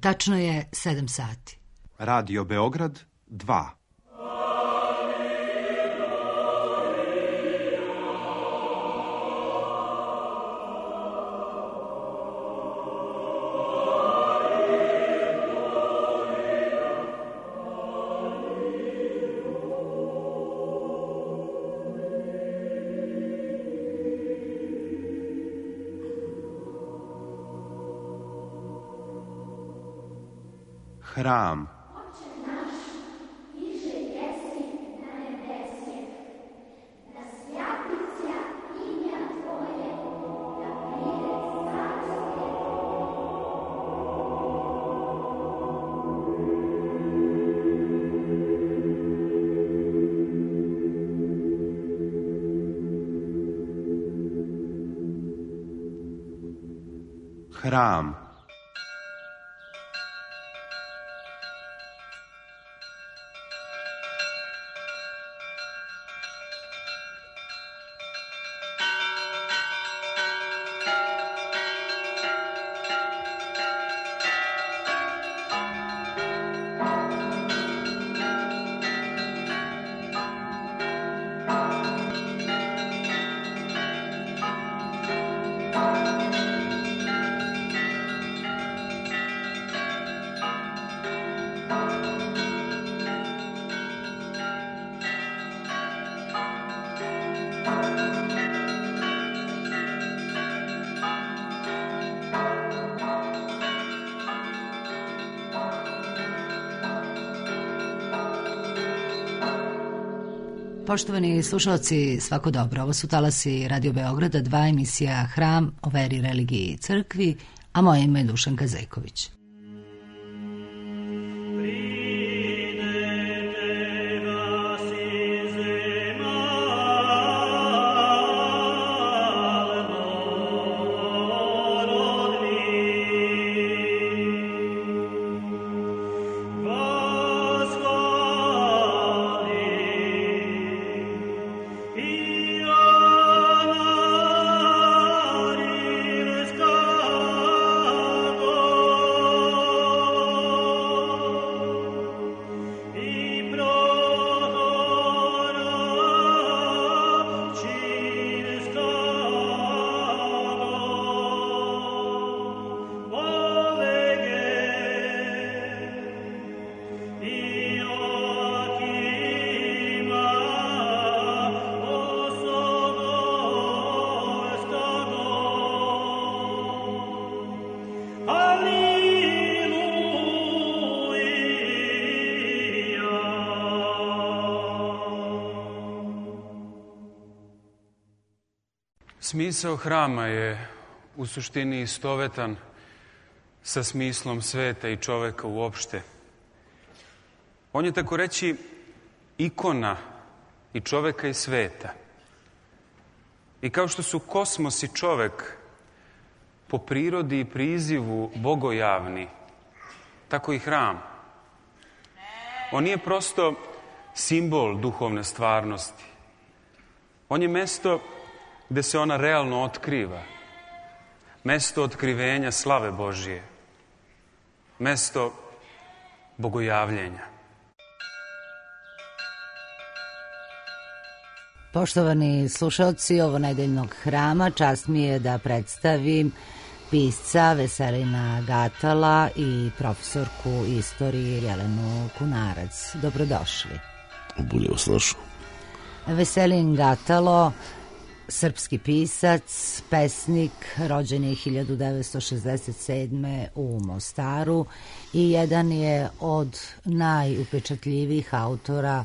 Tačno je 7 sati. Radio Beograd 2. Hram. Hram. Poštovani slušalci, svako dobro. Ovo su talasi Radio Beograda 2, emisija Hram o veri, religiji i crkvi, a moje ime je Dušanka Zejković. Smisao hrama je u suštini istovetan sa smislom sveta i čoveka uopšte. On je tako reći ikona i čoveka i sveta. I kao što su kosmos i čovek po prirodi i prizivu bogojavni, tako i hram. On nije prosto simbol duhovne stvarnosti. On je mesto gde se ona realno otkriva. Mesto otkrivenja slave Božije. Mesto bogojavljenja. Poštovani slušalci ovo nedeljnog hrama, čast mi je da predstavim pisca Veselina Gatala i profesorku istorije Jelenu Kunarac. Dobrodošli. Bolje vas našao. Veselin Gatalo, srpski pisac, pesnik, rođen je 1967. u Mostaru i jedan je od najupečatljivijih autora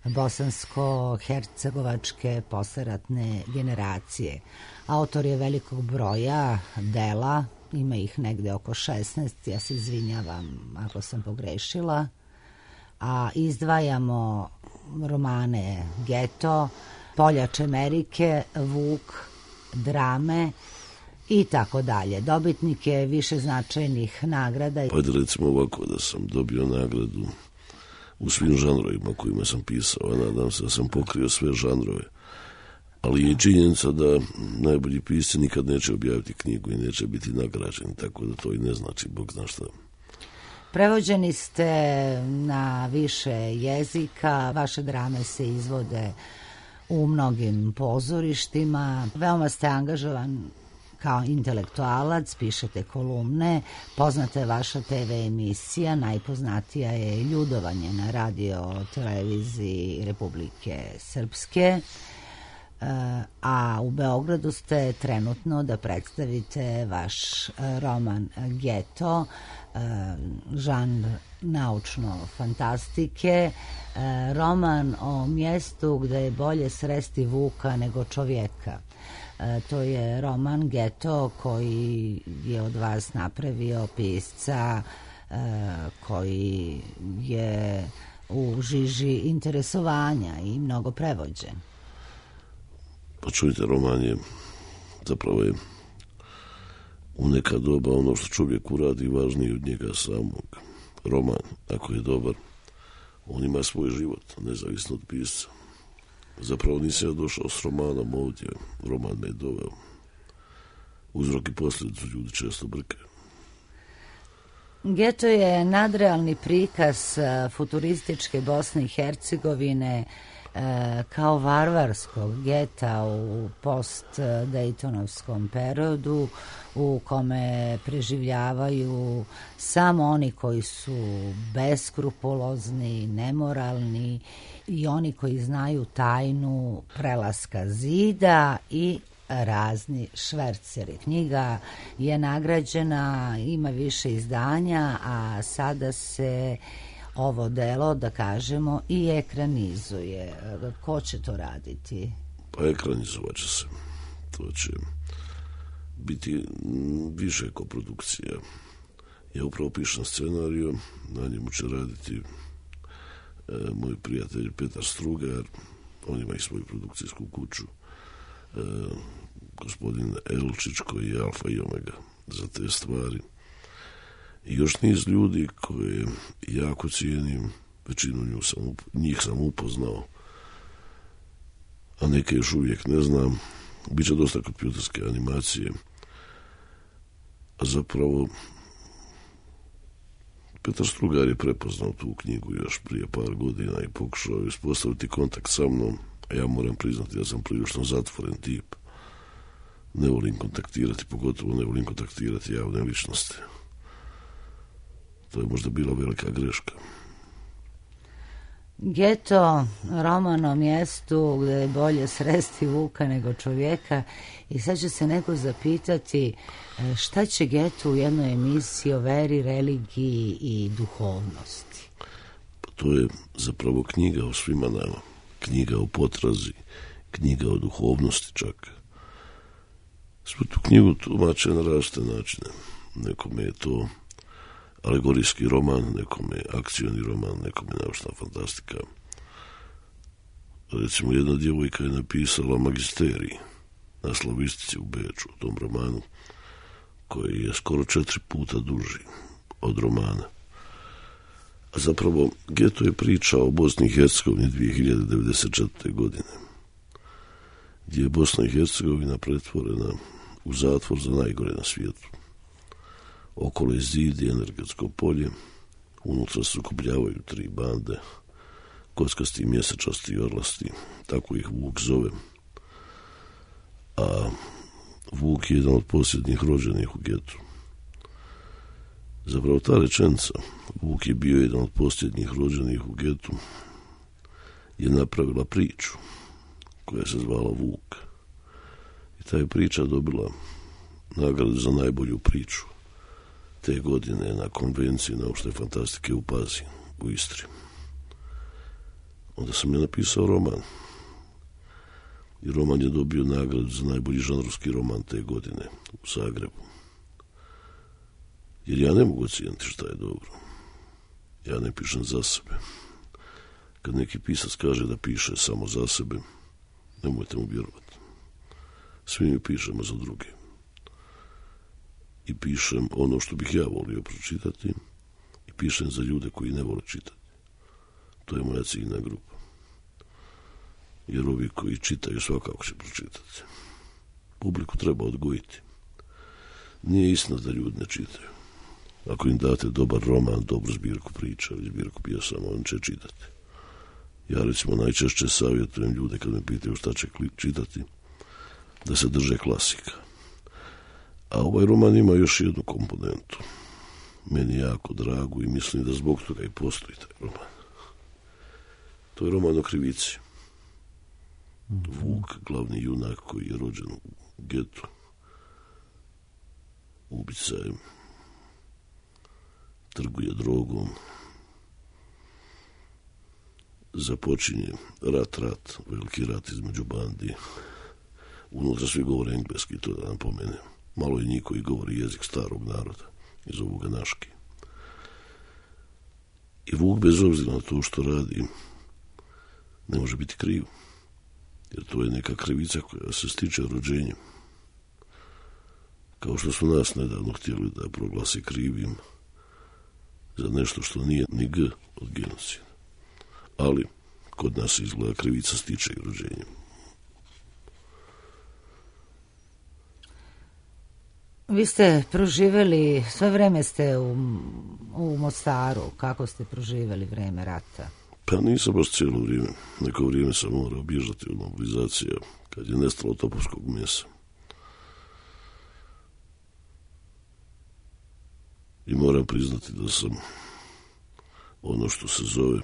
bosansko-hercegovačke posleratne generacije. Autor je velikog broja dela, ima ih negde oko 16, ja se izvinjavam ako sam pogrešila, a izdvajamo romane Geto, Poljač Amerike, Vuk, drame i tako dalje. Dobitnik je više značajnih nagrada. Pa recimo ovako, da sam dobio nagradu u svim žanrovima kojima sam pisao, a nadam se da sam pokrio sve žanrove. Ali je činjenica da najbolji pisci nikad neće objaviti knjigu i neće biti nagrađeni, tako da to i ne znači, Bog zna šta. Prevođeni ste na više jezika, vaše drame se izvode u mnogim pozorištima, veoma ste angažovan kao intelektualac, pišete kolumne, poznata je vaša TV emisija, najpoznatija je Ljudovanje na radio televiziji Republike Srpske, a u Beogradu ste trenutno da predstavite vaš roman Geto, žanr naučno-fantastike, roman o mjestu gde je bolje sresti vuka nego čovjeka. To je roman Geto koji je od vas napravio pisca koji je u žiži interesovanja i mnogo prevođen. Pa čujte, roman je zapravo je u neka doba ono što čovjek uradi važnije od njega samog. Roman, ako je dobar, on ima svoj život, nezavisno od pisca. Zapravo nisam ja došao s romanom ovdje, roman me je doveo. Uzrok i posljedicu ljudi često brkaju. Geto je nadrealni prikaz futurističke Bosne i Hercegovine kao varvarskog geta u post-Dejtonovskom periodu u kome preživljavaju samo oni koji su beskrupulozni, nemoralni i oni koji znaju tajnu prelaska zida i razni šverceri. Knjiga je nagrađena, ima više izdanja, a sada se ovo delo, da kažemo, i ekranizuje. Ko će to raditi? Pa ekranizovat će se. To će biti više koprodukcija. Ja upravo pišem scenariju, na njemu će raditi moj prijatelj Petar Strugar, on ima i svoju produkcijsku kuću, gospodin Elčić koji je alfa i omega za te stvari. I još niz ljudi koje jako cijenim, većinu njih sam upoznao, a neke još uvijek ne znam. Biće dosta kompjuterske animacije, a zapravo Petar Strugar je prepoznao tu knjigu još prije par godina i pokušao uspostaviti kontakt sa mnom, a ja moram priznati da sam prilično zatvoren tip. Ne volim kontaktirati, pogotovo ne volim kontaktirati javne ličnosti. To je možda bila velika greška. Geto, roman o mjestu gde je bolje sresti vuka nego čovjeka, i sad će se neko zapitati šta će Geto u jednoj emisiji o veri, religiji i duhovnosti. Pa to je zapravo knjiga o svima nama, knjiga o potrazi, knjiga o duhovnosti čak. Sve tu knjigu tumače na različite načine. Nekome je to alegorijski roman, nekome je akcioni roman, nekome je naučna fantastika. Recimo, jedna djevojka je napisala magisterij na slavistici u Beču, u tom romanu, koji je skoro 4 puta duži od romana. A zapravo, Geto je priča o Bosni i Hercegovini 2094. godine, gdje je Bosna i Hercegovina pretvorena u zatvor za najgore na svijetu. Okolo je zid i energetsko polje, unutra se sukobljavaju 3 bande, kockasti, mjesečasti i orlasti, tako ih Vuk zove. A Vuk je jedan od posljednjih rođenih u Getu. Zapravo ta rečenica, Vuk je bio jedan od posljednjih rođenih u Getu, je napravila priču koja se zvala Vuk. I ta je priča dobila nagradu za najbolju priču te godine na konvenciji naučne fantastike u Pazinu, u Istri. Onda sam je napisao roman. I roman je dobio nagradu za najbolji žanrovski roman te godine u Zagrebu. Jer ja ne mogu ocijeniti šta je dobro. Ja ne pišem za sebe. Kad neki pisac kaže da piše samo za sebe, nemojte mu vjerovati. Svi mi pišemo za druge. I pišem ono što bih ja volio pročitati i pišem za ljude koji ne vole čitati. To je moja ciljna grupa. Jer ovi koji čitaju svakako će pročitati. Publiku treba odgojiti. Nije istina da ljudi ne čitaju. Ako im date dobar roman, dobru zbirku priča ili zbirku pjesama, on će čitati. Ja recimo najčešće savjetujem ljude kad me pitaju šta će čitati, da se drže klasika. A ovaj roman ima još jednu komponentu. Meni jako dragu i mislim da zbog toga i postoji taj roman. To je roman o krivici. Vuk, glavni junak koji je rođen u getu, ubica je, trguje drogom, započinje rat, veliki rat između bandi. Unutra svi govore engleski, to da napomenem. Malo je njih koji govori jezik starog naroda, iz ovoga Naški. I Vuk, bez obzira na to što radi, ne može biti kriv. Jer to je neka krivica koja se stiče rođenjem. Kao što su nas nedavno htjeli da proglasi krivim za nešto što nije ni G od genocida. Ali kod nas izgleda krivica stiče i rođenjem. Vi ste proživjeli, sve vreme ste u Mostaru. Kako ste proživjeli vreme rata? Pa nisam baš cijelo vrijeme. Neko vrijeme sam morao bježati od mobilizacija kad je nestalo topovskog mesa. I moram priznati da sam ono što se zove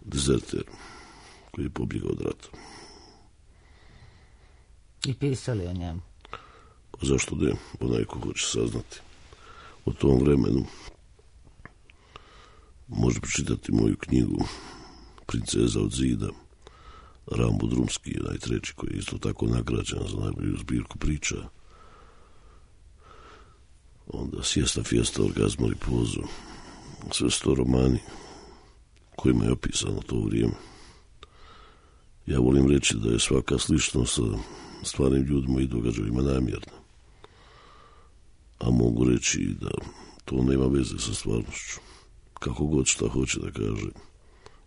dezerter koji je pobjegao od rata. I pisali o njemu? Pa zašto ne? Onaj ko hoće saznati o tom vremenu može pročitati moju knjigu Princeza od zida. Rambo Drumski je najtreći koji je isto tako nagrađen za najbolju zbirku priča. Onda Siesta, Fiesta, Orgazmo i Pozo. Sve su to romani kojima je opisano to vrijeme. Ja volim reći da je svaka sličnost sa stvarnim ljudima i događajima namjerna. A mogu reći da to nema veze sa stvarnošću. Kako god šta hoće da kaže,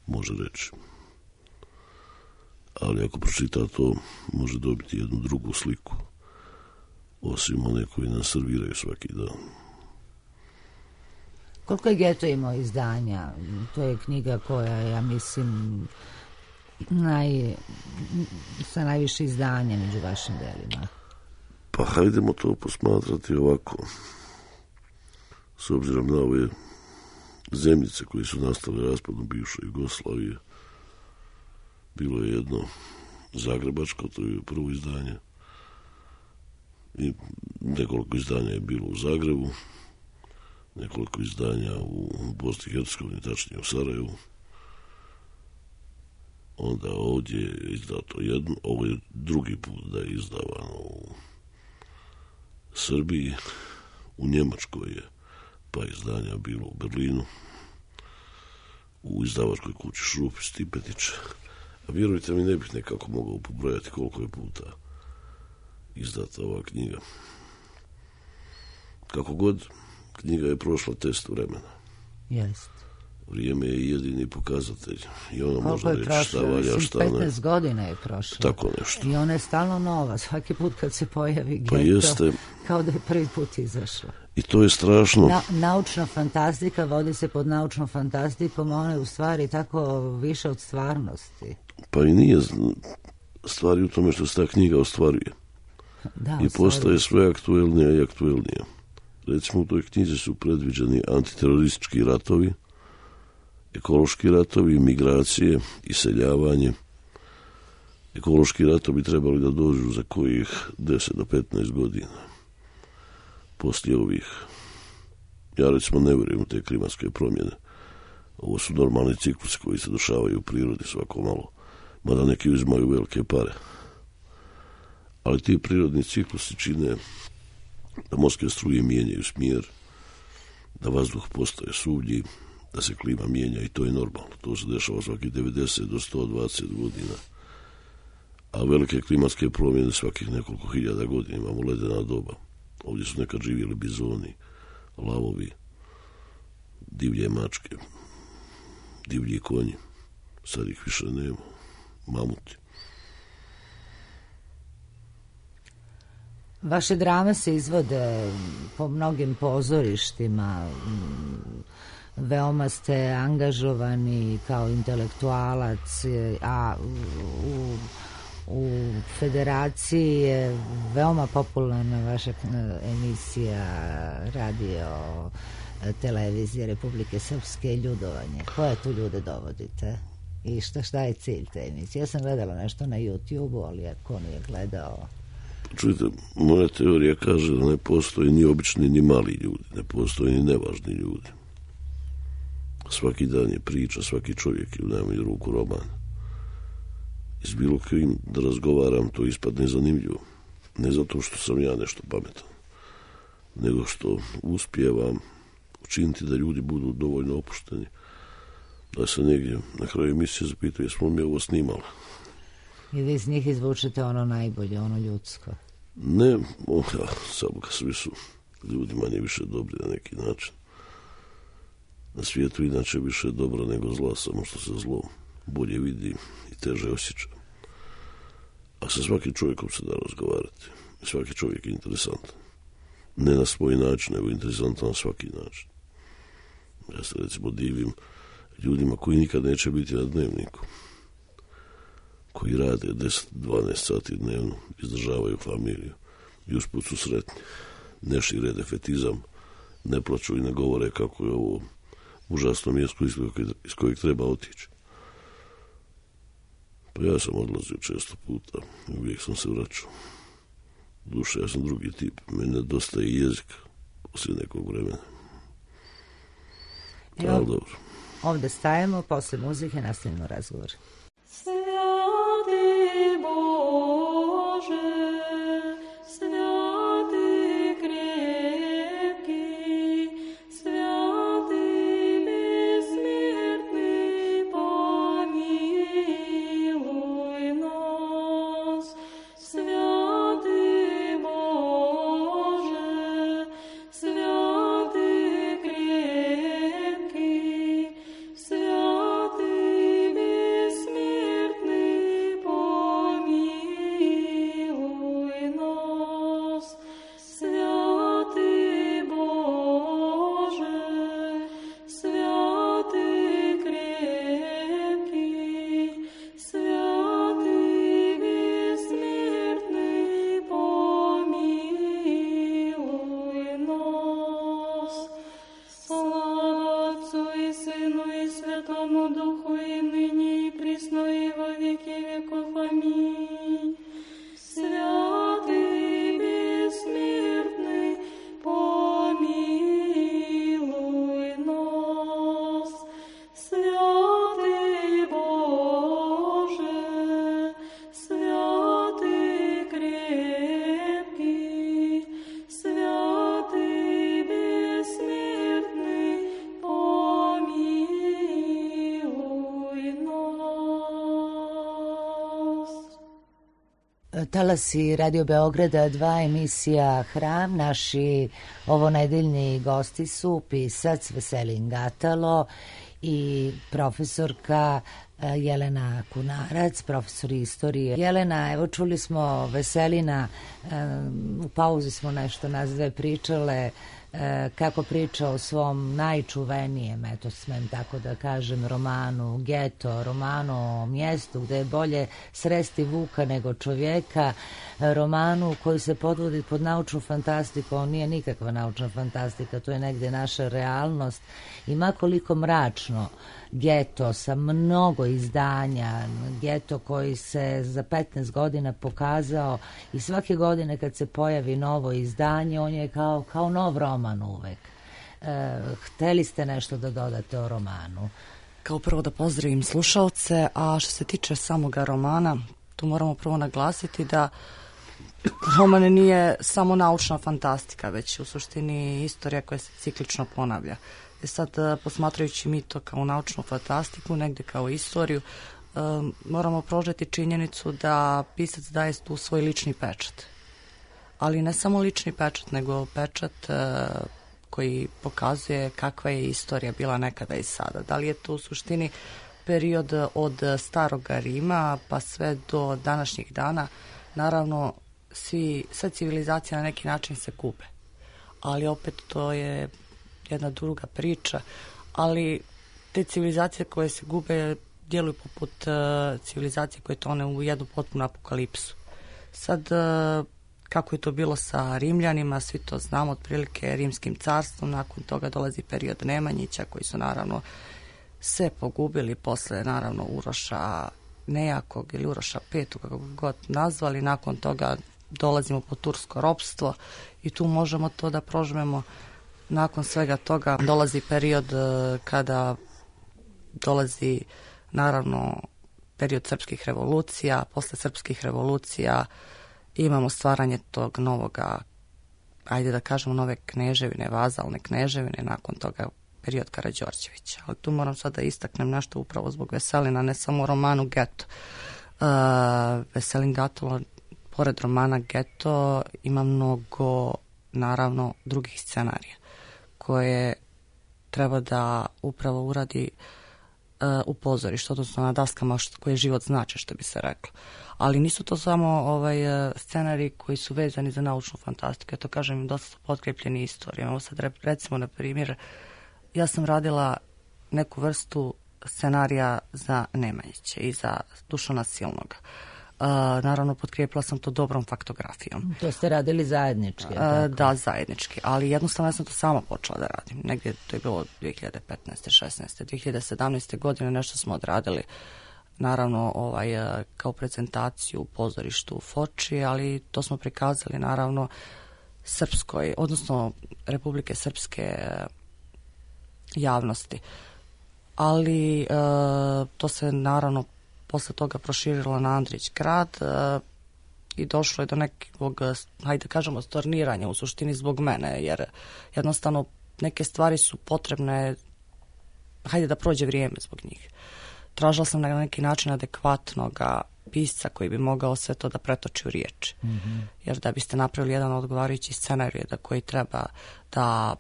može reći. Ali ako pročita to, može dobiti jednu drugu sliku, osim one koji nam serviraju svaki dan. Koliko je Geto imao izdanja? To je knjiga koja je, ja mislim, sa najviše izdanja među vašim delima. Pa hajdemo to posmatrati ovako. S obzirom na ove zemljice koje su nastale raspadom bivše Jugoslavije, bilo je jedno zagrebačko, to je prvo izdanje, i nekoliko izdanja je bilo u Zagrebu, nekoliko izdanja u Bosni i Hercegovini, tačnije u Sarajevu. Onda ovdje je izdato jedno, ovo je drugi put da je izdavano u Srbiji, u Njemačkoj je pa izdanja bilo u Berlinu, u izdavačkoj kući Šrup i Stipetić. A vjerujte mi, ne bih nekako mogao pobrojati koliko je puta izdata ova knjiga. Kako god, knjiga je prošla test vremena. Jest. Vrijeme je jedini pokazatelj. I ono koliko može reći šta valja, šta ne. 15 godina je prošlo. Tako nešto. I ona je stalno nova. Svaki put kad se pojavi Geto, Pa jeste. Kao da je prvi put izašla. I to je strašno. Naučna fantastika vodi se pod naučnom fantastikom, a ona je u stvari tako više od stvarnosti. Pa i nije stvari u tome što se ta knjiga ostvaruje. Da, I postaje sve aktuelnija i aktuelnija. Recimo u toj knjizi su predviđeni antiteroristički ratovi, ekološki ratovi, migracije, iseljavanje. Ekološki ratovi trebali da dođu za kojih 10 do 15 godina. Poslije ovih, ja recimo ne vjerujem u te klimatske promjene. Ovo su normalni ciklusi koji se dešavaju u prirodi svako malo, mada neki uzimaju velike pare. Ali ti prirodni ciklusi čine da morske struje mijenjaju smjer, da vazduh postaje suvlji, da se klima mijenja i to je normalno. To se dešava svakih 90 do 120 godina. A velike klimatske promjene svakih nekoliko hiljada godina. Imamo ledena doba. Ovdje su nekad živjeli bizoni, lavovi, divlje mačke, divlji konji. Sad ih više nema. Mamuti. Vaše drame se izvode po mnogim pozorištima, veoma ste angažovani kao intelektualac, a u Federaciji je veoma popularna vaša emisija radio televizije Republike Srpske Ljudovanje. Koje tu ljude dovodite? I šta je cilj te emisije? Ja sam gledala nešto na YouTube-u, ali ako nije gledao... Čujte, moja teorija kaže da ne postoji ni obični ni mali ljudi, ne postoji ni nevažni ljudi. Svaki dan je priča, svaki čovjek je u najmanju ruku roman. I s bilo kojim da razgovaram, to ispadne zanimljivo. Ne zato što sam ja nešto pametan, nego što uspijevam učiniti da ljudi budu dovoljno opušteni, da se negdje na kraju emisije zapitaju jesmo mi ovo snimali. I vi iz njih izvučete ono najbolje, ono ljudsko. Ne, samo svi su ljudi manje više dobri na neki način. Na svijetu inače više dobro nego zla, samo što se zlo bolje vidi i teže osjeća. A sa svakim čovjekom se da razgovarati. I svaki čovjek je interesantan. Ne na svoj način, nego interesantan na svaki način. Ja se recimo divim ljudima koji nikad neće biti na dnevniku, koji rade 10-12 sati dnevno, izdržavaju familiju i usput su sretni. Ne šire defetizam, ne plaču i ne govore kako je ovo užasno mjesto iz kojeg treba otići. Pa ja sam odlazio često puta i uvijek sam se vraćao. Duše, ja sam drugi tip, meni nedostaje i jezik poslije nekog vremena. Ali dobro. Ovdje stajemo, posle muzike nastavimo razgovor. Talasi Radio Beograda 2, emisija Hram. Naši ovonedeljni gosti su pisac Veselin Gatalo i profesorka Jelena Kunarac, profesor istorije. Jelena, evo čuli smo Veselina, u pauzi smo nešto nas dve pričale, kako priča o svom najčuvenijem, eto smem tako da kažem, romanu Geto, romanu o mjestu gde je bolje sresti vuka nego čovjeka, romanu koji se podvodi pod naučnu fantastiku. On nije nikakva naučna fantastika, to je negde naša realnost i makoliko mračno Geto sa mnogo izdanja, Geto koji se za 15 godina pokazao i svake godine kad se pojavi novo izdanje, on je kao nov roman uvek. Hteli ste nešto da dodate o romanu? Kao prvo da pozdravim slušalce, a što se tiče samoga romana, tu moramo prvo naglasiti da roman nije samo naučna fantastika, već u suštini istorija koja se ciklično ponavlja. Sad, posmatrajući mi to kao naučnu fantastiku, negde kao istoriju, moramo prožeti činjenicu da pisac daje tu svoj lični pečat. Ali ne samo lični pečat, nego pečat koji pokazuje kakva je istorija bila nekada i sada. Da li je to u suštini period od staroga Rima pa sve do današnjih dana. Naravno, sve civilizacije na neki način se gube. Ali opet to je jedna druga priča, ali te civilizacije koje se gube djeluju poput civilizacije koje tone u jednu potpunu apokalipsu. Sad, kako je to bilo sa Rimljanima, svi to znamo, otprilike Rimskim carstvom, nakon toga dolazi period Nemanjića, koji su naravno sve pogubili, posle naravno Uroša Nejakog ili Uroša V, kako god nazvali, nakon toga dolazimo po tursko ropstvo i tu možemo to da prožmemo. Nakon svega toga dolazi period kada dolazi naravno period srpskih revolucija. Posle srpskih revolucija imamo stvaranje tog novoga, ajde da kažemo, nove kneževine, vazalne kneževine, nakon toga period Karađorđevića. Ali tu moram sad da istaknem nešto upravo zbog Veselina, ne samo u romanu Geto. Veselin Gatalo, pored romana Geto, ima mnogo, naravno, drugih scenarija koje treba da upravo uradi u pozorištu, odnosno na daskama koje život znači, što bi se reklo. Ali nisu to samo scenariji koji su vezani za naučnu fantastiku. Ja to kažem, dosta su potkrepljeni istorijom. Evo sad recimo, na primjer, ja sam radila neku vrstu scenarija za Nemanjića i za Dušana Silnoga. Naravno, potkrijepila sam to dobrom faktografijom. To ste radili zajednički? Da, zajednički, ali jednostavno ja sam to sama počela da radim. Negdje to je bilo 2015. 16. 2017. godine nešto smo odradili, naravno kao prezentaciju u pozorištu u Foči, ali to smo prikazali naravno srpskoj, odnosno Republike Srpske javnosti. Ali to se naravno posle toga proširilo na Andrić grad i došlo je do nekog, hajde kažemo, storniranja u suštini zbog mene, jer jednostavno neke stvari su potrebne, hajde da prođe vrijeme zbog njih. Tražila sam na neki način adekvatnog pisca koji bi mogao sve to da pretoči u riječi. Mm-hmm. Jer da biste napravili jedan odgovarajući scenarij da koji treba da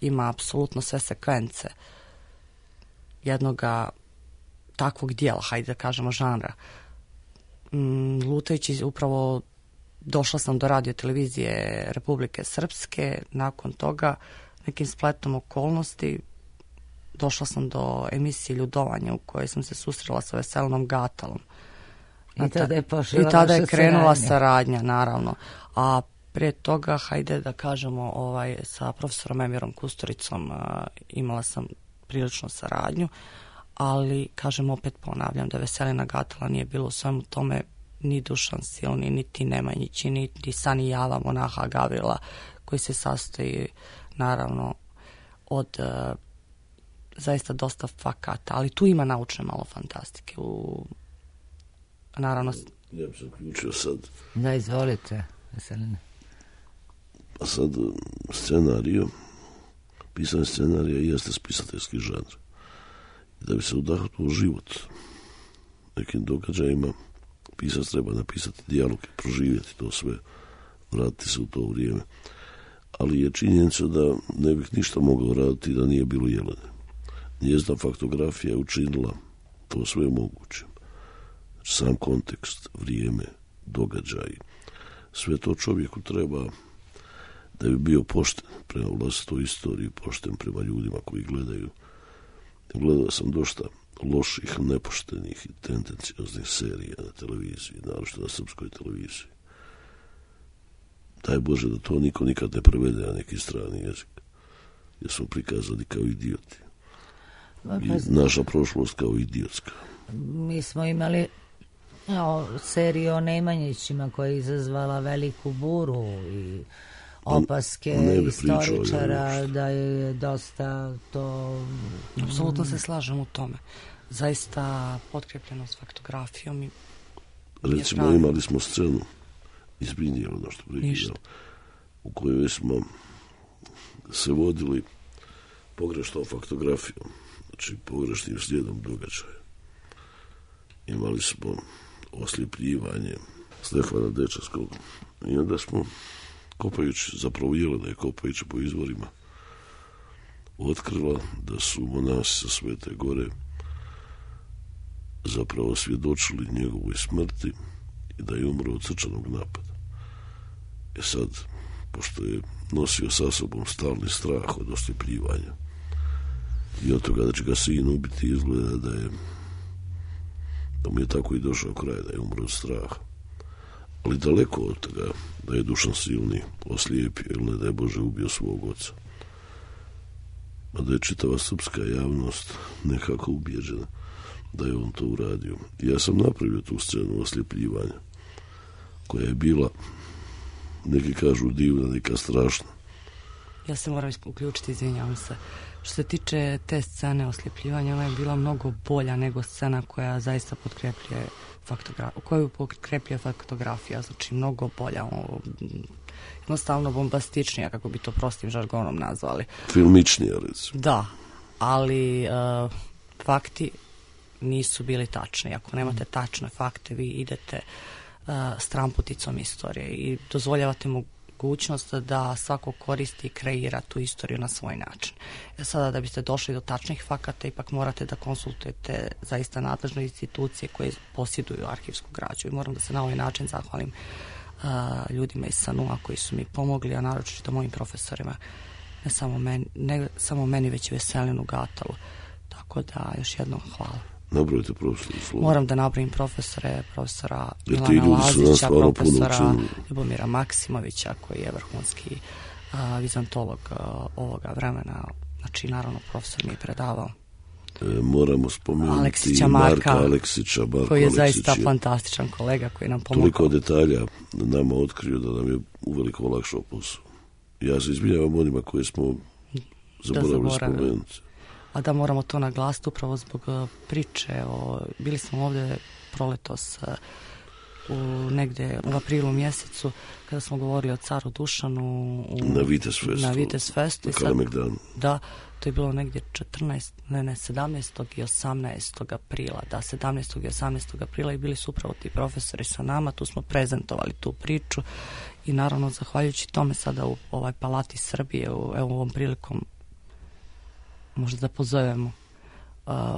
ima apsolutno sve sekvence jednoga takvog dijela, hajde da kažemo žanra. Lutajući upravo došla sam do radio televizije Republike Srpske, nakon toga nekim spletom okolnosti došla sam do emisije Ljudovanja u kojoj sam se susrela sa Veselinom Gatalom. I tada je krenula saradnja, naravno. A prije toga, hajde da kažemo, sa profesorom Emirom Kusturicom imala sam prilično saradnju, ali, kažem, opet ponavljam da Veselina Gatala nije bilo u svemu tome ni Dušan Silni, niti Nemanjići, niti Sani Java, monaha Gavrila, koji se sastoji, naravno, od zaista dosta fakata, ali tu ima naučne malo fantastike. Naravno... Ja bih se uključio sad. Da, izvolite, Veselina. A sad, pisanje scenarija jeste spisateljski žanr. Da bi se udahnuo život nekim događajima, pisac treba napisati dijaloge, proživjeti to sve, vratiti se u to vrijeme. Ali je činjenica da ne bih ništa mogao raditi da nije bilo Jelene. Njezina faktografija je učinila to sve moguće. Sam kontekst, vrijeme, događaji, sve to čovjeku treba da bi bio pošten prema vlastitoj istoriji, pošten prema ljudima koji gledaju. Gledao sam dosta loših, nepoštenih i tendencioznih serija na televiziji, naročito na srpskoj televiziji. Daj Bože da to niko nikad ne prevede na neki strani jezik, jer smo prikazani kao idioti. I naša prošlost kao idiotska. Mi smo imali seriju o Nemanjićima koja je izazvala veliku buru i opaske istoričara da je dosta to... Apsolutno se slažem u tome. Zaista potkrepljeno s faktografijom i... Recimo, imali smo scenu izbrinije ono što prikidao, u kojoj smo se vodili pogrešnom faktografijom, znači pogrešnim slijedom događaja. Imali smo osljepljivanje Stefana Dečarskog i onda smo kopajući, zapravo Jelena je kopajući po izvorima otkrila da su monasi sa Svete Gore zapravo svjedočili njegovoj smrti i da je umro od srčanog napada. Sad, pošto je nosio sa sobom stalni strah od osljepljivanja i od toga da će ga sin ubiti, izgleda da mu je tako i došao kraj, da je umro od straha. Ali daleko od toga da je Dušan Silni oslijepio ili ne da je Bože ubio svog oca. A da je čitava srpska javnost nekako ubijeđena da je on to uradio. Ja sam napravio tu scenu osljepljivanja koja je bila, neki kažu divna, neka strašna. Ja se moram uključiti, izvinjavam se. Što se tiče te scene osljepljivanja, ona je bila mnogo bolja nego scena koja zaista potkrepljuje faktografija, znači mnogo bolja, jednostavno bombastičnija, kako bi to prostim žargonom nazvali. Filmičnija, recimo. Da, ali fakti nisu bili tačni. Ako nemate tačne fakte, vi idete stramputicom istorije i dozvoljavate mogućnost da svako koristi i kreira tu istoriju na svoj način. Sada da biste došli do tačnih fakata, ipak morate da konsultujete zaista nadležne institucije koje posjeduju arhivsku građu. I moram da se na ovaj način zahvalim ljudima iz SANU-a koji su mi pomogli, a naročito mojim profesorima, ne samo meni, već i Veselinu Gatalu. Tako da još jednom hvala. Nabrojite profesora slova. Moram da nabrojim profesora Milana Lazića, profesora Ljubomira Maksimovića, koji je vrhunski vizantolog ovoga vremena. Znači, naravno, profesor mi je predavao. Moramo spomenuti Aleksića Marka Aleksića, koji je zaista fantastičan kolega koji nam pomogao. Toliko detalja nama otkrio da nam je uveliko olakšao posao. Ja se izvinjavam onima koje smo zaboravili spomenuti. A da moramo to naglasiti upravo zbog priče. Bili smo ovdje proletos negdje u aprilu mjesecu kada smo govorili o caru Dušanu na Vitez Festu. Na Kalemegdanu. Da, to je bilo negdje 17. i 18. aprila. Da, 17. i 18. aprila i bili su upravo ti profesori sa nama. Tu smo prezentovali tu priču i naravno zahvaljujući tome sada u ovoj Palati Srbije, evo ovom prilikom možda da pozovemo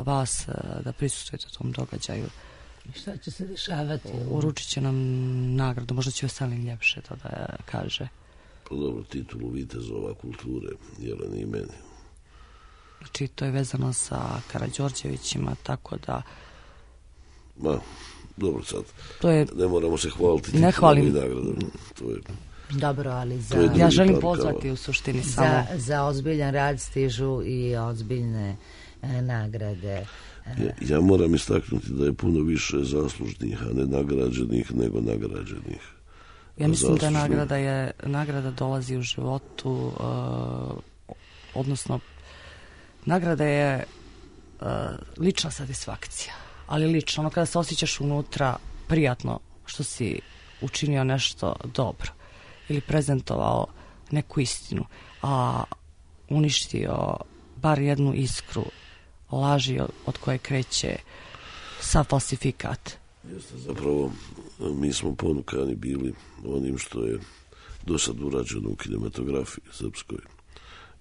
vas da prisustvujete tom događaju. Šta će se dešavati? Uručit će nam nagradu, možda će Veselin ljepše to da kaže. Pa dobro, titulu vitezova kulture, Jeleni i meni. Znači, to je vezano sa Karađorđevićima, tako da... Ma, dobro sad. To je... Ne moramo se hvaliti ne hvalim. Nagradom. To je... Dobro, ali ja želim pozvati u suštini samo... Za ozbiljan rad stižu i ozbiljne nagrade. Ja moram istaknuti da je puno više zaslužnih, a ne nagrađenih, nego nagrađenih. Ja mislim da nagrada dolazi u životu, odnosno nagrada je lična satisfakcija, ali lično, ono kada se osjećaš unutra prijatno što si učinio nešto dobro ili prezentovao neku istinu, a uništio bar jednu iskru laži od koje kreće sav falsifikat. Jeste, zapravo mi smo ponukani bili onim što je do sad urađeno u kinematografiji srpskoj,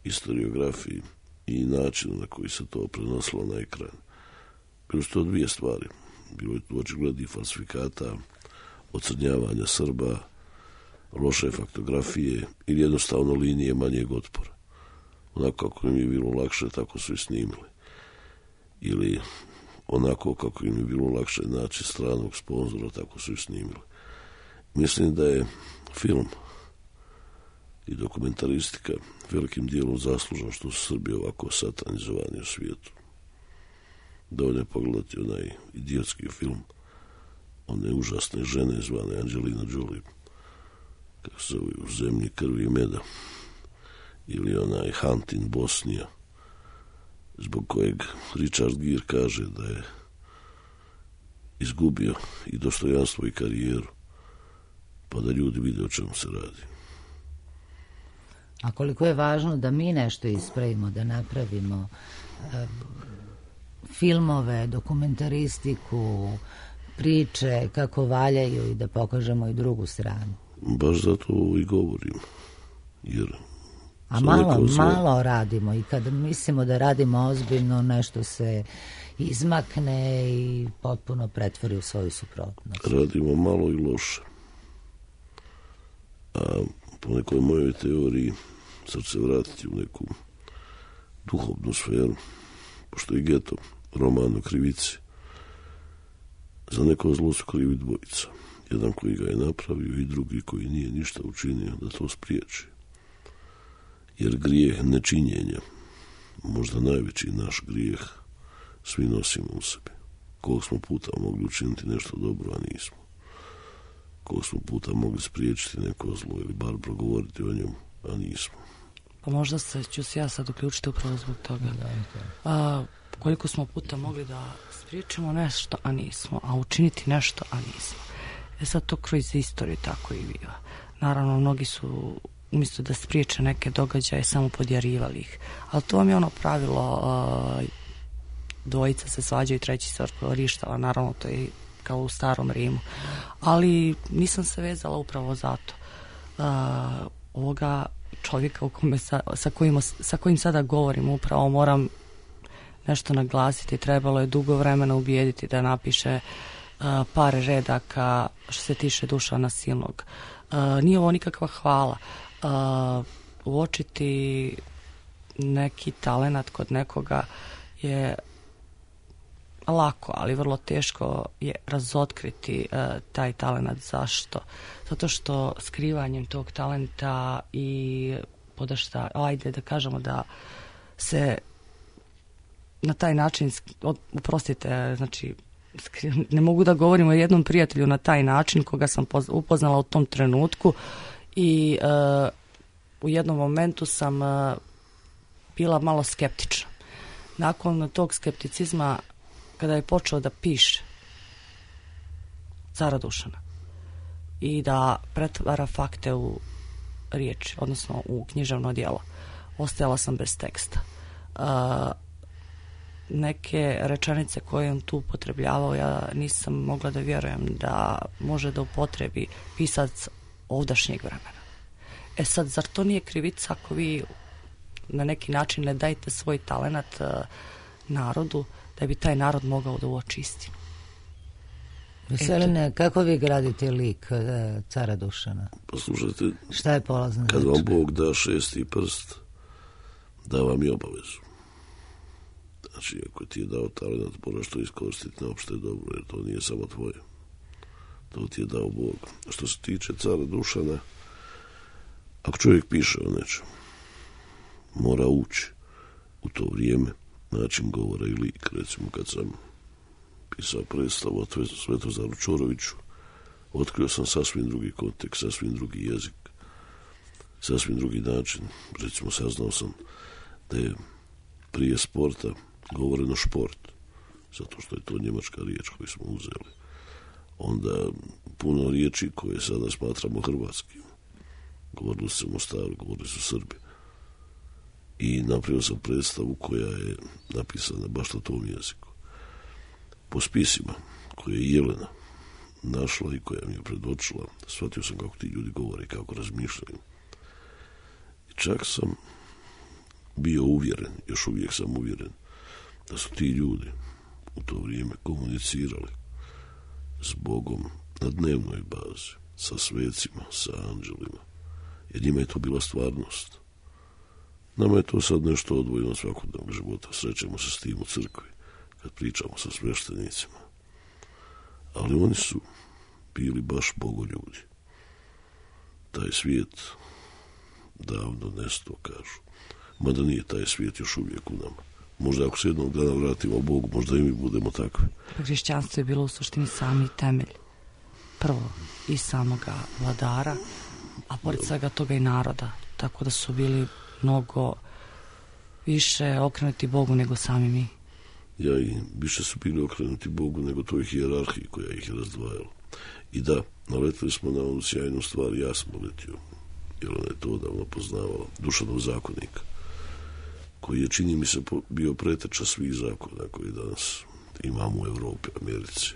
historiografiji i načinu na koji se to prenosilo na ekran. Bilo su to dvije stvari. Bilo je tu očiglednih falsifikata, ocrnjavanja Srba, loše faktografije ili jednostavno linije manjeg otpora. Onako kako im je bilo lakše, tako su i snimili. Ili onako kako im je bilo lakše naći stranog sponzora, tako su i snimili. Mislim da je film i dokumentaristika velikim dijelom zaslužno što su Srbi ovako satanizovani u svijetu. Dovoljno je pogledati onaj idiotski film one užasne žene zvane Angelina Jolie, kako se zove, U zemlji krvi i meda, ili onaj Hunt in Bosnija, zbog kojeg Richard Gere kaže da je izgubio i dostojanstvo i karijeru, pa da ljudi vide o čemu se radi. A koliko je važno da mi nešto ispravimo, da napravimo filmove, dokumentaristiku, priče kako valjaju i da pokažemo i drugu stranu. Baš zato i govorim. Jer a malo radimo i kad mislimo da radimo ozbiljno, nešto se izmakne i potpuno pretvori u svoju suprotnost. Radimo malo i loše. A po nekoj mojoj teoriji sad se vratiti u neku duhovnu sferu, pošto je Geto roman o krivici. Za neko zlo su krivi dvojica. Jedan koji ga je napravio i drugi koji nije ništa učinio da to spriječi. Jer grijeh nečinjenja, možda najveći naš grijeh, svi nosimo u sebi. Koliko smo puta mogli učiniti nešto dobro, a nismo. Koliko smo puta mogli spriječiti neko zlo ili bar progovoriti o njemu, a nismo. Pa možda ću se ja sad uključiti upravo zbog toga. Koliko smo puta mogli da spriječimo nešto, a nismo, a učiniti nešto, a nismo. Sad to kroz istoriju tako i biva. Naravno, mnogi su umjesto da spriječe neke događaje samo podjarivali ih. Ali to vam je ono pravilo, dvojica se svađaju, treći se rištava, naravno to je kao u starom Rimu. Ali nisam se vezala upravo zato. Ovoga čovjeka sa kojim sada govorim, upravo moram nešto naglasiti. Trebalo je dugo vremena ubijediti da napiše par redaka što se tiče Dušana Silnog. Nije ovo nikakva hvala. Uočiti neki talenat kod nekoga je lako, ali vrlo teško je razotkriti taj talenat. Zašto? Zato što skrivanjem tog talenta i podašta, ajde da kažemo da se na taj način, oprostite, znači ne mogu da govorim o jednom prijatelju na taj način koga sam upoznala u tom trenutku i u jednom momentu sam bila malo skeptična. Nakon tog skepticizma, kada je počeo da piše cara Dušana i da pretvara fakte u riječ, odnosno u književno djelo, ostajala sam bez teksta. Neke rečenice koje on tu upotrebljavao, ja nisam mogla da vjerujem da može da upotrebi pisac ovdašnjeg vremena. Sad, zar to nije krivica ako vi na neki način ne dajete svoj talenat narodu, da bi taj narod mogao da uoči istinu? Veseline, kako vi gradite lik cara Dušana? Poslušajte, šta je polazna kad vam Bog da šesti prst, da vam i obavezu. Znači, ako ti je dao talent, moraš to iskoristiti na opšte dobro, jer to nije samo tvoje. To ti je dao Bog. Što se tiče cara Dušana, ako čovjek piše o nečemu, mora ući u to vrijeme, način govora i lik. Recimo, kad sam pisao predstavu o Svetozaru Čoroviću, otkrio sam sasvim drugi kontekst, sasvim drugi jezik, sasvim drugi način. Recimo, saznao sam da je prije sporta govoreno šport, zato što je to njemačka riječ koju smo uzeli. Onda puno riječi koje sada smatramo hrvatskim. Govorili su Mostaru, govorili su Srbi. I napravio sam predstavu koja je napisana baš na tom jeziku. Po spisima koje je Jelena našla i koja mi je predočila, shvatio sam kako ti ljudi govore, kako razmišljaju. I čak sam bio uvjeren, još uvijek sam uvjeren, da su ti ljudi u to vrijeme komunicirali s Bogom na dnevnoj bazi, sa svecima, sa anđelima, jer njima je to bila stvarnost. Nama je to sad nešto odvojeno od svakodnevnog života, srećemo se s tim u crkvi, kad pričamo sa sveštenicima. Ali oni su bili baš bogoljudi. Taj svijet davno nestao, kažu. Mada nije taj svijet još uvijek u nama. Možda ako se jednog dana vratimo Bogu, možda i mi budemo takvi. Hrišćanstvo je bilo u suštini sami temelj. Prvo i samoga vladara, a pored svega toga i naroda. Tako da su bili mnogo više okrenuti Bogu nego sami mi. Ja, i više su bili okrenuti Bogu nego toj hijerarhiji koja ih je razdvajala. I da, naletili smo na onu sjajnu stvar, ja sam uletio, jer ona je to odavno poznavala, Dušanov zakonik, koji je, čini mi se, bio preteča svih zakona koji danas imamo u Evropi, Americi.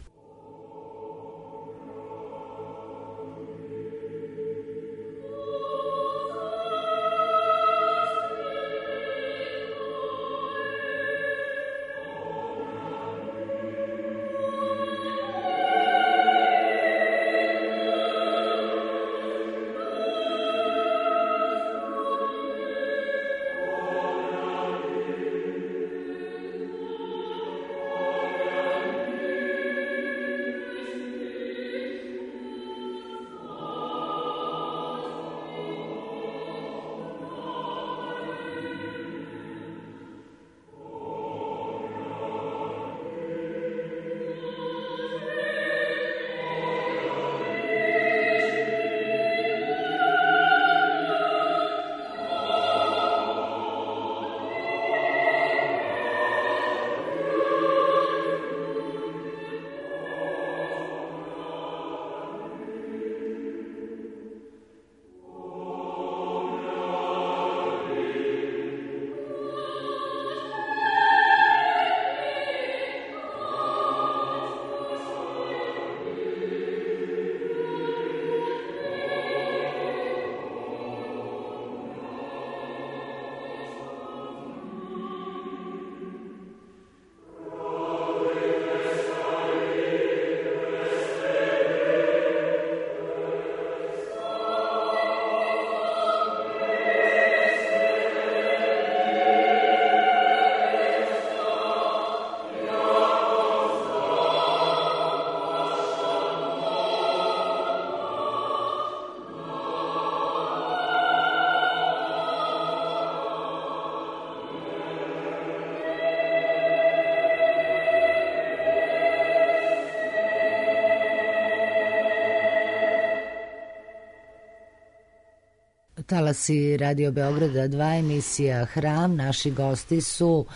Talasi Radio Beograda 2, emisija Hram. Naši gosti su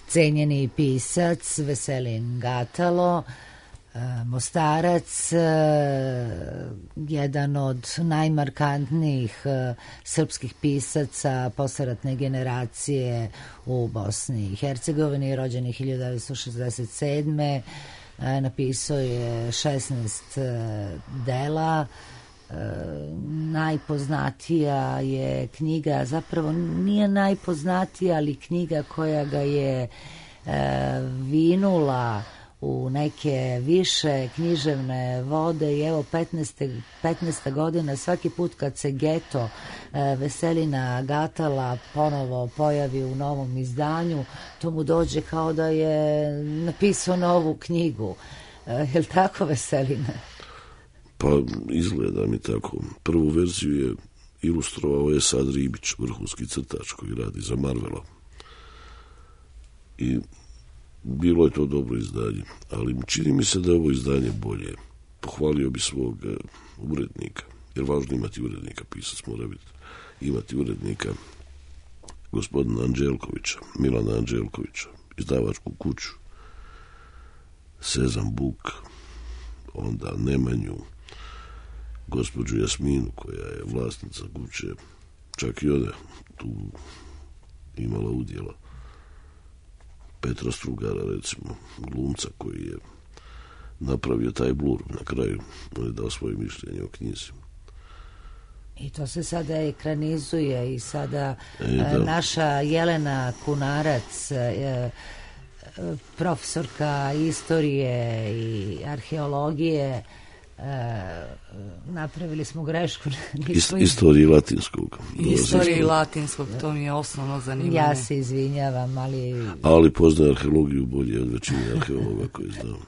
cenjeni pisac Veselin Gatalo, Mostarac, jedan od najmarkantnijih srpskih pisaca posleratne generacije u Bosni i Hercegovini, rođen 1967. Napisao je 16 dela. Najpoznatija je knjiga, zapravo nije najpoznatija, ali knjiga koja ga je vinula u neke više književne vode i evo 15. godina svaki put kad se Geto Veselina Gatala ponovo pojavi u novom izdanju, to mu dođe kao da je napisao novu knjigu. Je li tako, Veselina? Pa izgleda mi tako. Prvu verziju je ilustrovao Esad Ribić, vrhunski crtač koji radi za Marvela. I bilo je to dobro izdanje, ali čini mi se da je ovo izdanje bolje. Pohvalio bi svog urednika, jer važno imati urednika, pisac mora imati urednika, gospodina Anđelkovića, Milana Anđelkovića, izdavačku kuću, Sezam Buk, onda Nemanju, gospođu Jasminu koja je vlasnica kuće, čak i ona tu imala udjela, Petra Strugara recimo, glumca koji je napravio taj blur na kraju, on je dao svoje mišljenje o knjizi. I to se sada ekranizuje i sada naša Jelena Kunarac, profesorka istorije i arheologije, napravili smo grešku. Istoriji latinskog. Istoriji latinskog, to mi je osnovno zanimanje. Ja se izvinjavam, ali poznaje arheologiju bolje od većine arheologa koji znam.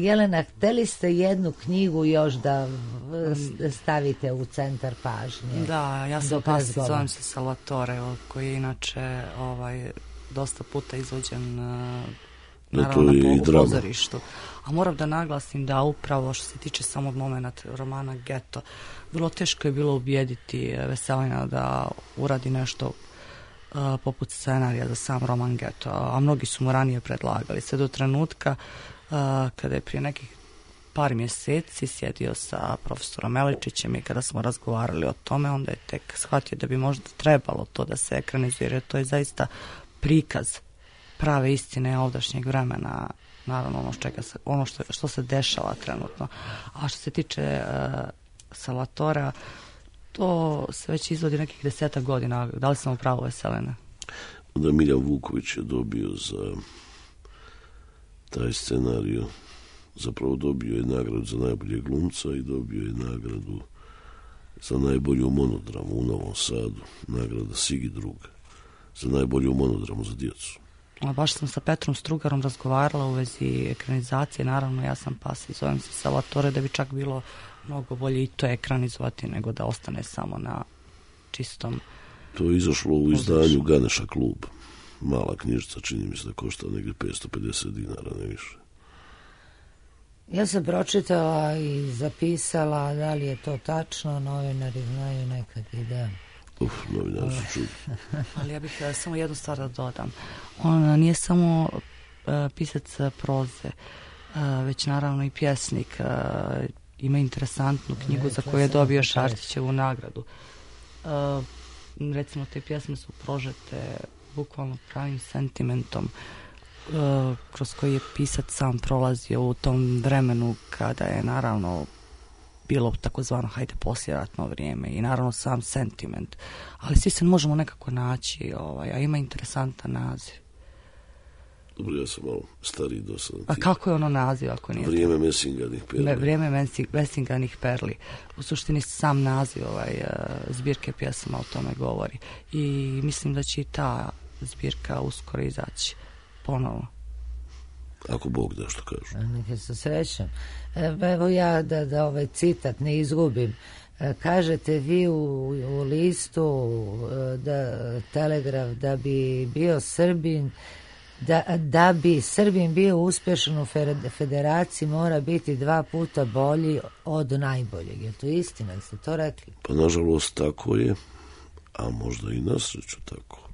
Jelena, hteli ste jednu knjigu još da stavite u centar pažnje? Da, ja sam Pasi, zovem se Salvatore, koji je inače dosta puta izvođen naravno u pozorištu. A moram da naglasim da upravo što se tiče samog momenta romana Geto, vrlo teško je bilo ubijediti Veselina da uradi nešto poput scenarija za sam roman Geto, a mnogi su mu ranije predlagali. Sve do trenutka kada je prije nekih par mjeseci sjedio sa profesorom Meličićem i kada smo razgovarali o tome, onda je tek shvatio da bi možda trebalo to da se ekranizuje, jer to je zaista prikaz prave istine ovdašnjeg vremena, naravno što se dešava trenutno. A što se tiče Salvatora, to se već izvodi nekih 10 godina. Da li sam u pravu, Veselina? Onda Miljan Vuković je dobio za taj scenariju, zapravo dobio je nagradu za najboljeg glumca i dobio je nagradu za najbolju monodramu u Novom Sadu, nagrada Sigi Druga, za najbolju monodramu za djecu. Baš sam sa Petrom Strugarom razgovarala u vezi ekranizacije, naravno ja sam Pasi, zovem se Salvatore, da bi čak bilo mnogo bolje i to ekranizovati nego da ostane samo na čistom. To je izašlo u izdanju Ganeša klub. Mala knjižica, čini mi se da košta negdje 550 dinara, ne više. Ja sam pročitala i zapisala, da li je to tačno, novinari znaju nekad i da... Novinari su čuli. Ali ja bih samo jednu stvar da dodam. On nije samo pisac proze, već naravno i pjesnik. Ima interesantnu knjigu za koju je dobio Šartićevu nagradu. Recimo, te pjesme su prožete bukvalno pravim sentimentom kroz koji je pisac sam prolazio u tom vremenu kada je naravno bilo takozvano poslijeratno vrijeme i naravno sam sentiment. Ali svi se možemo nekako naći, a ima interesantan naziv. Dobro, ja sam malo stariji dosadan. A kako je ono naziv ako nije? Vrijeme mesinganih perli. Vrijeme mesinganih perli. U suštini sam naziv zbirke pjesama o tome govori. I mislim da će i ta zbirka uskoro izaći ponovo. Ako Bog da što kažu. Neke se srećem. Evo ja da ovaj citat ne izgubim. Kažete vi u listu da Telegraf da bi bio Srbin Da bi Srbin bio uspješan u federaciji mora biti 2 puta bolji od najboljeg. Je to istina? Jeste to rekli? Pa nažalost tako je, a možda i na sreću tako.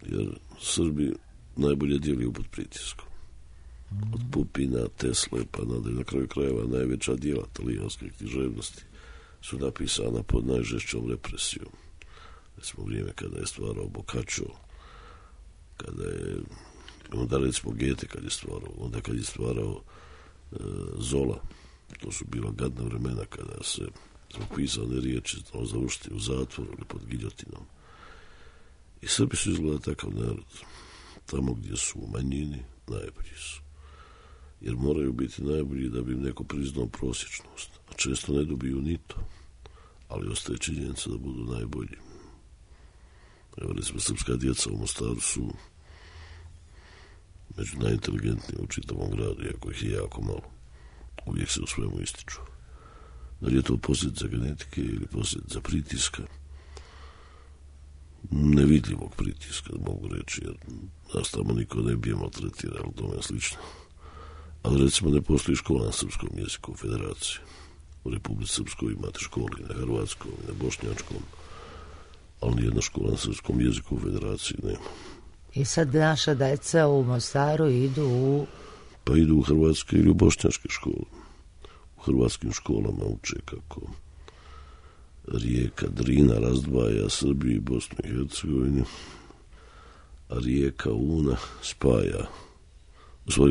Jer Srbi najbolje djeluju pod pritiskom. Od Pupina, Tesle, pa nadalje, na kraju krajeva najveća djela talijanske književnosti su napisana pod najžešćom represijom. Recimo vrijeme kada je stvarao Boccaccio, kada je, onda recimo Goethe kad je stvarao, onda kad je stvarao Zola, to su bila gadna vremena kada se zbog pisane riječi završiti u zatvoru ili pod giljotinom. I Srbi su izgleda takav narod. Tamo gdje su u manjini, najbolji su. Jer moraju biti najbolji da bi im neko priznao prosječnost. A često ne dobiju ni to. Ali ostaje činjenica da budu najbolji. Evo, recimo, srpska djeca u Mostaru su među najinteligentnijim u čitavom gradu, iako ih je jako malo. Uvijek se u svemu ističu. Da li je to posljedica genetike ili posljedica pritiska? Nevidljivog pritiska, mogu reći, jer nas tamo niko ne bi je maltretirao, ali tome je slično. Ali recimo ne postoji škola na srpskom jeziku u federaciji. U Republici Srpskoj imate školi na hrvatskom i na bošnjačkom, ali nijedna škola na srpskom jeziku u federaciji nema. I sad naša deca u Mostaru idu u... Pa idu u hrvatske ili u bošnjačke škole. U hrvatskim školama uče kako rijeka Drina razdvaja Srbiju i Bosnu i Hercegovinu, a rijeka Una spaja,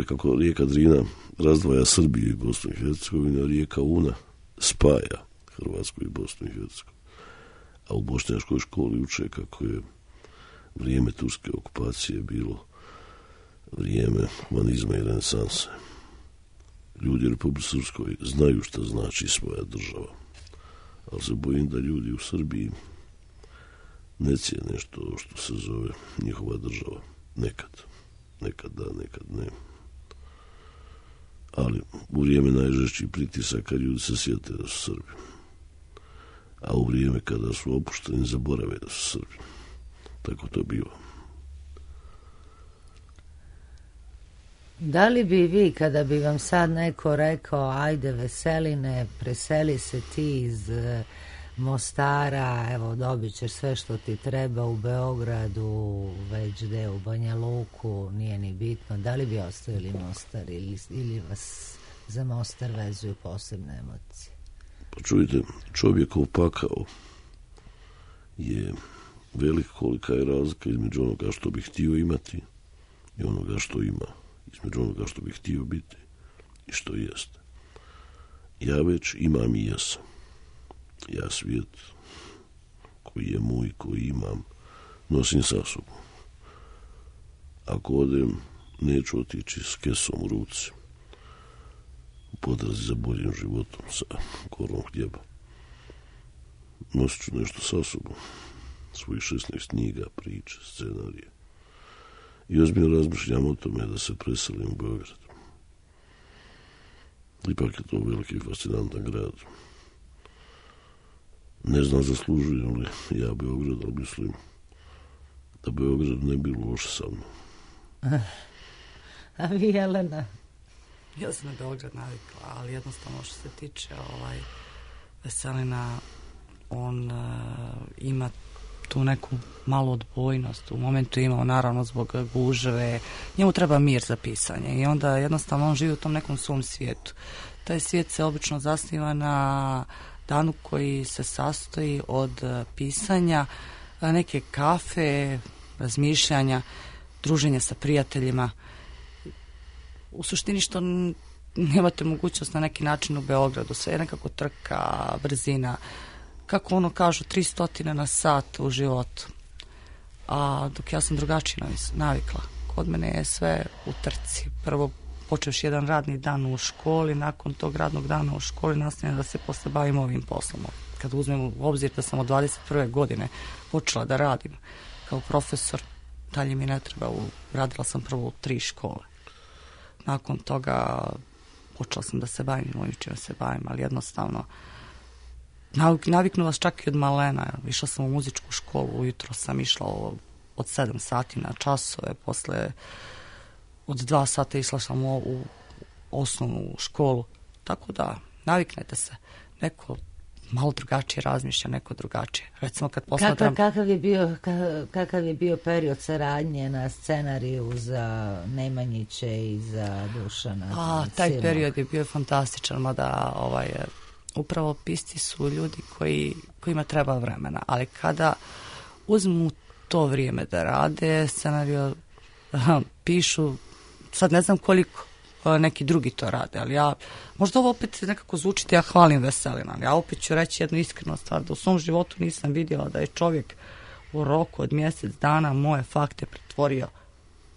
kako rijeka Drina razdvaja Srbiju i Bosnu i Hercegovinu, a rijeka Una spaja Hrvatsku i Bosnu i Hercegovinu. A u bošnjačkoj školi uče kako je vrijeme turske okupacije bilo vrijeme humanizma i renesanse. Ljudi u Republici Srpskoj znaju šta znači svoja država, ali se bojim da ljudi u Srbiji ne cijene nešto što se zove njihova država. Nekad da, nekad ne. Ali u vrijeme najžešćih pritisaka ljudi se sjete da su Srbi. A u vrijeme kada su opušteni zaborave da su Srbi. Tako to biva. Da li bi vi, kada bi vam sad neko rekao, ajde Veseline, preseli se ti iz Mostara, evo dobit ćeš sve što ti treba u Beogradu, već gde u Banja Luku, nije ni bitno, da li bi ostavili Mostar ili vas za Mostar vezuju posebne emocije? Pa čujte, čovjekov pakao je velik, kolika je razlika između onoga što bi htio imati i onoga što ima, između onoga što bi htio biti i što jeste. Ja već imam i jesam. Ja svijet koji je moj, koji imam, nosim sa sobom. Ako odem, neću otići s kesom u ruci, u potrazi za boljim životom, sa korom hljeba. Nosit ću nešto sa sobom, svojih 16 knjiga, priče, scenarije. I ozbiljno razmišljam o tome da se preselim u Beograd. Ipak je to veliki i fascinantan grad. Ne znam zaslužujem li ja Beograd, ali mislim da Beograd ne bi loš sa mnom. A vi, Jelena? Ja sam na Beograd navikla, ali jednostavno što se tiče Veselina, on ima tu neku malu odbojnost. U momentu je imao, naravno, zbog gužve. Njemu treba mir za pisanje i onda jednostavno on živi u tom nekom svom svijetu. Taj svijet se obično zasniva na danu koji se sastoji od pisanja, neke kafe, razmišljanja, druženja sa prijateljima. U suštini što nemate mogućnost na neki način u Beogradu. Sve je nekako trka, brzina, kako ono kažu, 300 na sat u životu. A dok ja sam drugačije navikla. Kod mene je sve u trci. Prvo počeš jedan radni dan u školi, nakon tog radnog dana u školi nastavljam da se posle bavim ovim poslom. Kad uzmem u obzir da sam od 21. godine počela da radim kao profesor, dalje mi ne treba. Radila sam prvo u 3 škole. Nakon toga počela sam da se bavim ovim čime se bavim, ali jednostavno naviknu vas čak i od malena. Išla sam u muzičku školu, ujutro sam išla od 7 sati na časove, posle od 2 sata išla sam u osnovnu školu. Tako da, naviknete se. Neko malo drugačije razmišlja, neko drugačije. Recimo kad posmatram... Kakav je bio period saradnje na scenariju za Nemanjiće i za Dušana? Taj period je bio fantastičan, mada upravo pisci su ljudi kojima treba vremena, ali kada uzmu to vrijeme da rade, scenariju pišu, sad ne znam koliko neki drugi to rade, ali ja, možda ovo opet nekako zvučiti, ja hvalim Veselina, ja opet ću reći jednu iskrenu stvar, da u svom životu nisam vidjela da je čovjek u roku od mjesec dana moje fakte pretvorio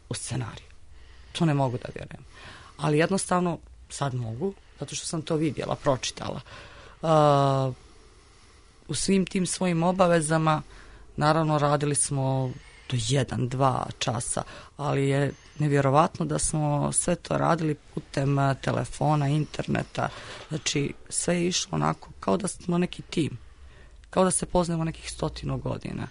u scenariju. To ne mogu da vjerujem. Ali jednostavno sad mogu, zato što sam to vidjela, pročitala. U svim tim svojim obavezama, naravno radili smo do 1-2 časa, ali je nevjerovatno da smo sve to radili putem telefona, interneta, znači sve je išlo onako kao da smo neki tim, kao da se poznajemo nekih 100 godina.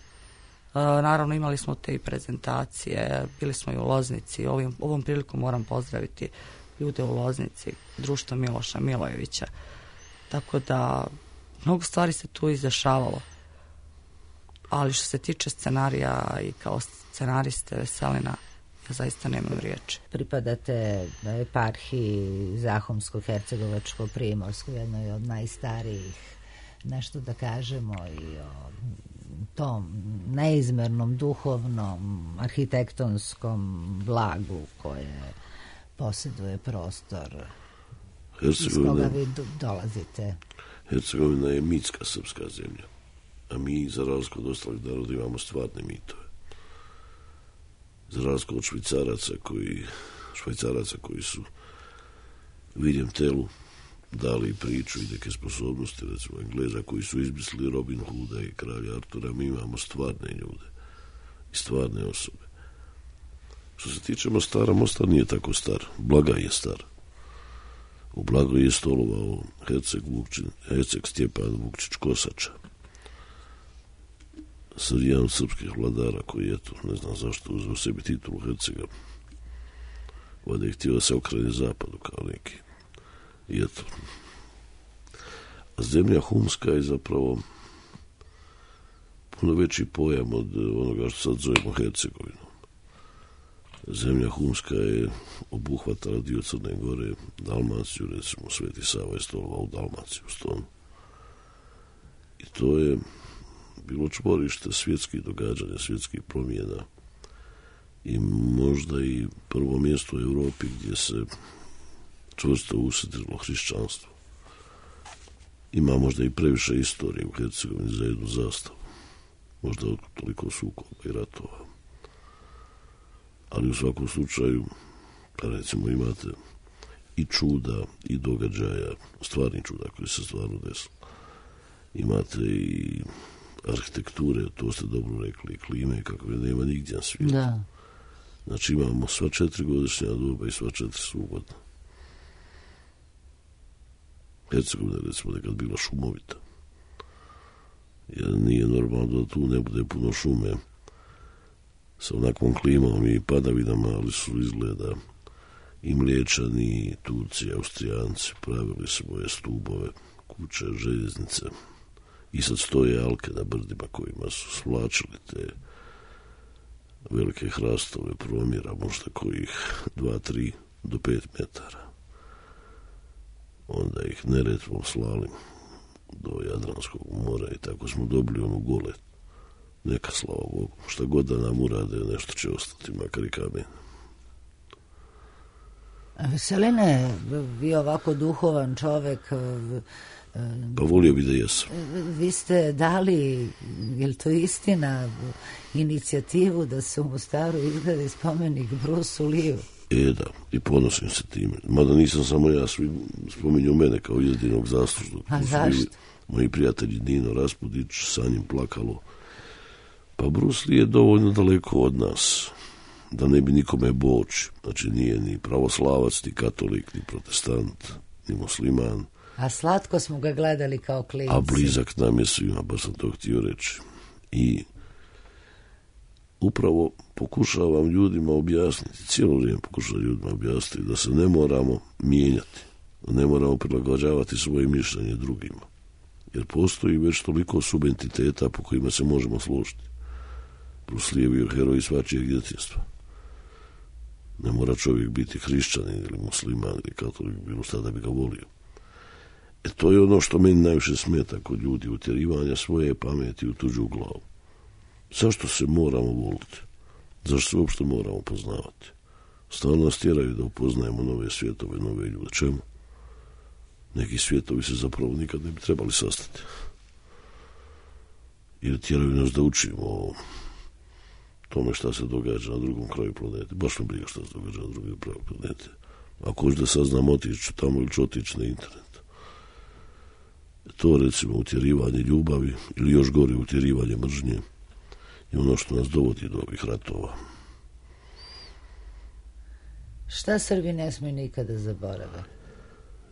Naravno imali smo te i prezentacije, bili smo i u Loznici, ovom prilikom moram pozdraviti ljude u Loznici, društvo Miloša Milojevića, tako da mnogo stvari se tu izdešavalo. Ali što se tiče scenarija i kao scenariste Veselina, ja zaista nemam riječi. Pripadate eparhiji Zahumsko-Hercegovačko-Primorsko, jednoj od najstarijih, nešto da kažemo i o tom neizmernom duhovnom, arhitektonskom blagu koje posjeduje prostor iz koga vi dolazite. Hercegovina je mitska srpska zemlja, a mi, za razliku od ostalih naroda, imamo stvarne mitove. Za razliku od švajcaraca koji su William Tellu dali priču i neke sposobnosti, recimo Engleza koji su izmislili Robin Hooda i kralja Artura, mi imamo stvarne ljude i stvarne osobe. Što se tiče Mostara, Mostar nije tako star. Blagaj je star. U Blagoj je stolovao Herceg Stjepan Vukčić Kosača, jedan od srpskih vladara koji, eto, ne znam zašto uzeo sebi titulu Hercega. Valjda je htio da se okrene zapadu kao neki. I eto. A zemlja humska je zapravo puno veći pojam od onoga što sad zovemo Hercegovinom. Zemlja humska je obuhvatala dio Crne Gore, Dalmaciju, recimo Sveti Sava je stolovao u Dalmaciju, Stonu. I to je bilo čvorište svjetskih događanja, svjetskih promjena i možda i prvo mjesto u Europi gdje se čvrsto usidrilo hrišćanstvo. Ima možda i previše istorije u Hercegovini za jednu zastavu. Možda toliko sukoba i ratova. Ali u svakom slučaju, recimo, imate i čuda i događaja, stvarni čuda koji se stvarno desilo. Imate i arhitekture, to ste dobro rekli, klime kakve nema nigdje na svijetu. Da. Znači imamo sva 4 godišnja doba i sva 4 sugodna. Hercegovina je recimo nekad bila šumovita. Jer nije normalno da tu ne bude puno šume sa onakvom klimom i padavinama, ali su izgleda i Mliječani, i Turci, i Austrijanci pravili svoje stubove, kuće, željeznice. I sad stoje alke na brdima kojima su svlačili te velike hrastove promjera, možda kojih 2, 3 do 5 metara. Onda ih Neretvom slali do Jadranskog mora i tako smo dobili onu Golet. Neka, slava Bogu, šta god da nam urade, nešto će ostati, makar i kamen. Veseline, vi ovako duhovan čovek, pa volio bi da jesam. Vi ste dali, je li to istina, inicijativu da se u Mostaru izgradi spomenik Bruce Lee-u? Da, i ponosim se time. Mada nisam samo ja, svi spominju mene kao jedinog zaslužnog. A zašto? Moji prijatelji Nino Raspudić, sa njim Plakalo. Pa Bruce Lee je dovoljno daleko od nas da ne bi nikome boći. Znači nije ni pravoslavac, ni katolik, ni protestant, ni musliman. A slatko smo ga gledali kao klinci. A blizak nam je svima, baš sam to htio reći. I upravo pokušavam ljudima objasniti, cijelo vrijeme pokušavam ljudima objasniti da se ne moramo mijenjati, da ne moramo prilagođavati svoje mišljenje drugima. Jer postoji već toliko subentiteta po kojima se možemo složiti. Bruslijevi heroji svačijeg djetinjstva. Ne mora čovjek biti hrišćanin ili musliman ili katolik, bilo šta da bi ga volio. To je ono što meni najviše smeta kod ljudi, utjerivanja svoje pameti u tuđu glavu. Zašto se moramo voliti? Zašto se uopšte moramo poznavati? Stalno nas tjeraju da upoznajemo nove svjetove, nove ljude. Čemu? Neki svjetovi se zapravo nikad ne bi trebali sastati. Jer tjeraju nas da učimo o tome šta se događa na drugom kraju planete. Baš me briga šta se događa na drugom kraju planete. Ako hoću da saznam, otići tamo ili ću otići na internet. To, recimo, utjerivanje ljubavi ili još gore utjerivanje mržnje je ono što nas dovodi do ovih ratova. Šta Srbi ne smiju nikada zaborave?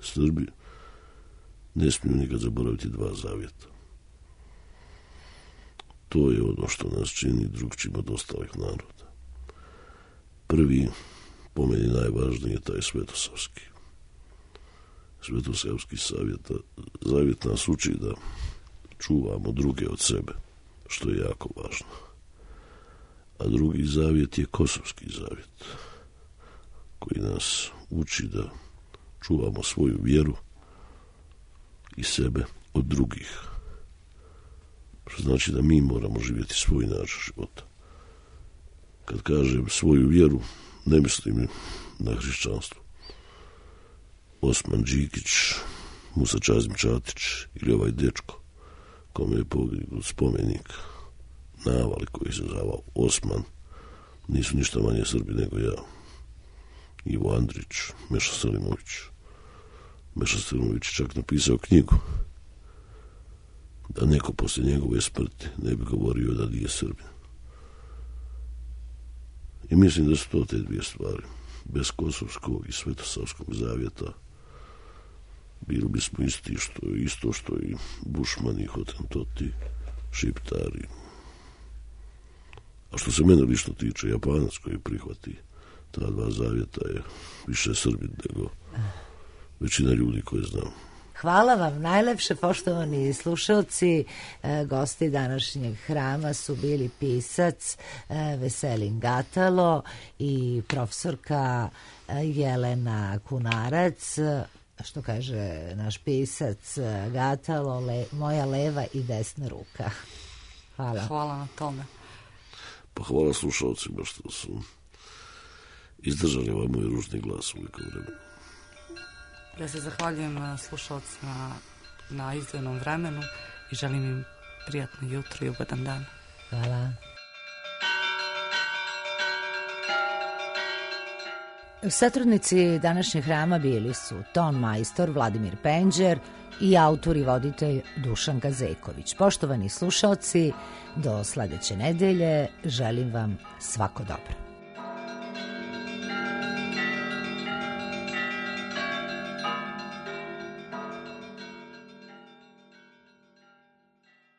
Srbi ne smiju nikad zaboraviti dva zavjeta. To je ono što nas čini drugčijim od ostalih naroda. Prvi, po meni najvažniji, je taj svetosavski. Svetosavski zavjet nas uči da čuvamo druge od sebe, što je jako važno. A drugi zavjet je kosovski zavjet, koji nas uči da čuvamo svoju vjeru i sebe od drugih. Što znači da mi moramo živjeti svoj način života. Kad kažem svoju vjeru, ne mislim na hrišćanstvo. Osman Đikić, Musa Čazim Čatić ili ovaj dečko kome je podignut spomenik na Avali koji se zvao Osman, nisu ništa manje Srbi nego ja. Ivo Andrić, Meša Selimović. Meša Selimović čak napisao knjigu da neko poslije njegove smrti ne bi govorio da nije Srbin. I mislim da su to te dvije stvari. Bez kosovskog i svetosavskog zavjeta bili bismo isto što i Bušmani, Hotentoti, Šiptari. A što se mene lično tiče, Japanac koji prihvati ta dva zavjeta je više Srbin nego većina ljudi koje znam. Hvala vam najlepše, poštovani slušalci. Gosti današnjeg hrama su bili pisac Veselin Gatalo i profesorka Jelena Kunarac. Što kaže naš pisac Gatalo, moja leva i desna ruka. Hvala. Hvala na tome. Pa hvala slušalcima što su izdržali ovaj moj ružni glas u nekom vremenu. Ja se zahvaljujem slušalcima na izdvojenom vremenu i želim im prijatno jutro i ugodan dan. Hvala. Satrudnici današnjeg hrama bili su ton majstor Vladimir Penđer i autor i voditelj Dušan Gazeković. Poštovani slušalci, do sledeće nedelje želim vam svako dobro.